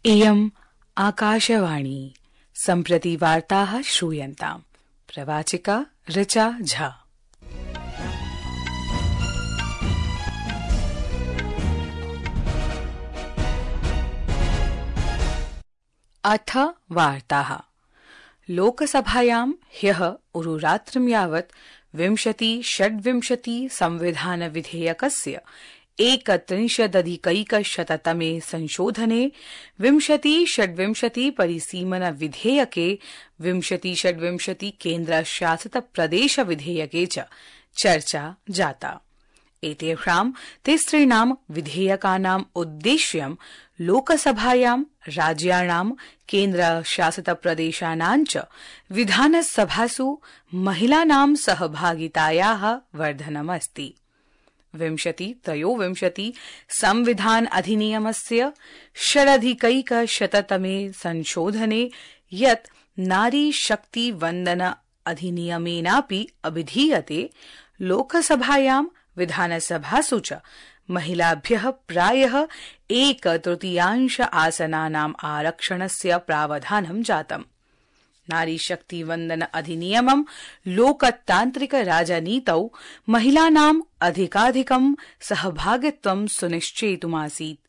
इयम् आकाशवाणी। सम्प्रति वार्ताः श्रूयन्ताम्। प्रवाचिका ऋचा झा। अथ वार्ताः। लोकसभायां ह्यः उरुरात्रं यावत् 2026 संविधान विधेयकस्य 31अधिकैकशततमे संशोधने 2026 परिसीमन विधेयके 2026 केन्द्रशासित प्रदेश विधेयके च चर्चा जाता। एतेषां तिसॄणां विधेयकानाम् उद्देश्यं लोकसभायां राज्याणां केन्द्रशासित प्रदेशानां च विधानसभासु महिलानां सहभागितायाः वर्धनमस्ति। 2023 संविधान अधिनियमस्य षडधिकैकशततमे संशोधने यत् नारी शक्ति वन्दन अधिनियमेनापि अभिधीयते, लोकसभायां विधानसभासु च महिलाभ्यः प्रायः 1/3 आसनानाम् आरक्षणस्य प्रावधानं जातम्। नारी शक्ति वन्दन अधिनियमं लोकतान्त्रिक राजनीतौ महिलानाम् अधिकाधिकं सहभागित्वं सुनिश्चेतुमासीत्।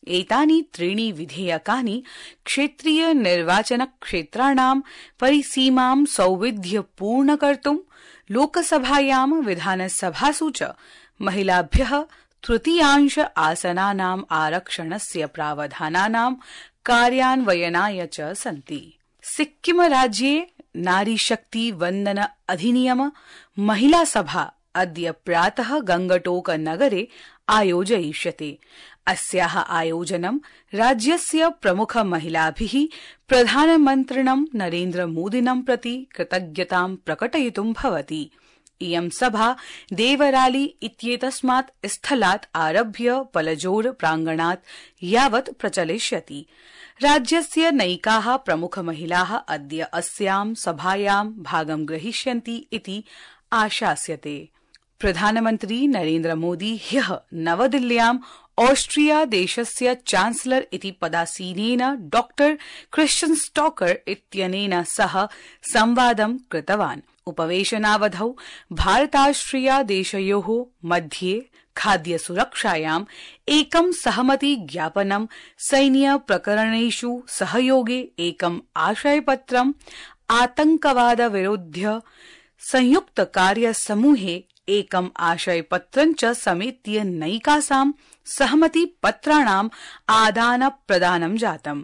एतानि त्रीणि विधेयकानि क्षेत्रीय निर्वाचन क्षेत्राणां परिसीमां सौविध्यपूर्ण कर्तुं लोकसभायां विधानसभासु च महिलाभ्यः 1/3 आसनानाम् आरक्षणस्य प्रावधानानां कार्यान्वयनाय च सन्ति। सिक्किम राज्ये नारी शक्ति वन्दन अधिनियम महिला सभा अद्य प्रातः गंगटोक नगरे आयोजयिष्यते। अस्याः आयोजनं राज्यस्य प्रमुख महिलाभिः प्रधानमन्त्रिणं नरेन्द्र मोदिनं प्रति कृतज्ञतां प्रकटयितुं भवति। इयं सभा देवराली इत्येतस्मात् स्थलात् आरभ्य पलजोर प्राङ्गणात् यावत् प्रचलिष्यति। राज्यस्य नैकाः प्रमुख महिलाः अद्य अस्यां सभायां भागं ग्रहीष्यन्ति इति आशास्यते। प्रधानमन्त्री नरेन्द्र मोदी ह्यः नवदिल्ल्यां ऑस्ट्रिया देशस्य चान्सलर इति पदासीनेन डॉ क्रिश्चियन स्टॉकर इत्यनेन सह संवादं कृतवान्। उपवेशनावधौ भारताश्रिया देशयोः मध्ये खाद्य सुरक्षायाम् एकं सहमति ज्ञापनं, सैन्य प्रकरणेषु सहयोगे एकम् आशयपत्रम्, आतंकवाद विरुध्य संयुक्त कार्य समूहे एकम् आशयपत्रं च समेत्य नैकासां सहमति पत्राणाम् आदान प्रदानं जातम्।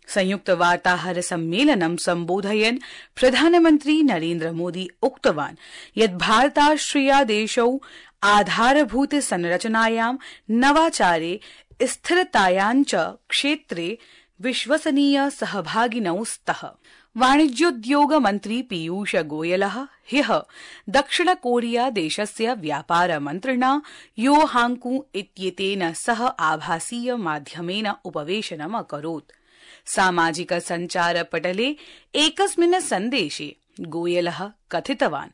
संयुक्त वार्ताहर सम्मेलनं सम्बोधयन् प्रधानमन्त्री नरेन्द्र मोदी उक्तवान् यत् भारताश्रिया देशौ आधारभूत संरचनायां, नवाचारे, स्थिरतायां च क्षेत्रे विश्वसनीय सहभागिनौ स्तः। वाणिज्योद्योग मन्त्री पीयूष गोयलः ह्यः दक्षिण कोरिया देशस्य व्यापार मन्त्रिणा यो हांकू इत्येतेन सह आभासीय माध्यमेन उपवेशनम् अकरोत्। सामाजिक सञ्चार पटले एकस्मिन् सन्देशे गोयलः कथितवान्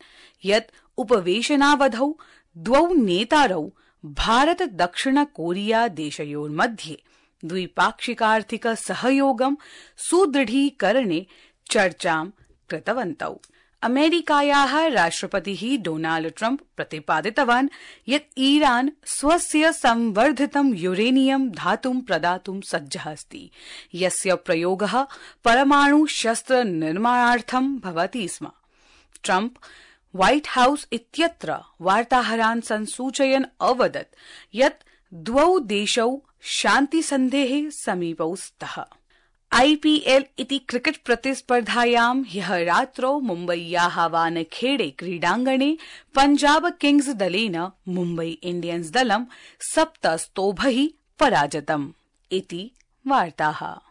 यत् उपवेशनावधौ द्वौ नेतारौ भारत दक्षिण कोरिया देशयोर्मध्ये द्विपाक्षिकार्थिक सहयोगं सुदृढीकरणे चर्चां कृतवन्तौ। अमेरिकायाः राष्ट्रपतिः डोनाल्ड ट्रम्प प्रतिपादितवान् यत् ईरान स्वस्य संवर्धितं यूरेनियम धातुं प्रदातुं सज्जः अस्ति, यस्य प्रयोगः परमाणु शस्त्र निर्माणार्थं भवति स्म। ट्रम्प व्हाइट हाउस इत्यत्र वार्ताहरान् संसूचयन् अवदत् यत् द्वौ देशौ शान्तिसन्धेः समीपौ स्तः। IPL इति क्रिकेट प्रतिस्पर्धायां ह्यः रात्रौ मुम्बय्याः वानखेड़े क्रीडाङ्गणे पंजाब किंग्स दलेन मुम्बई इंडियन्स दलं 7 स्तोभैः पराजितम् इति वार्ताः।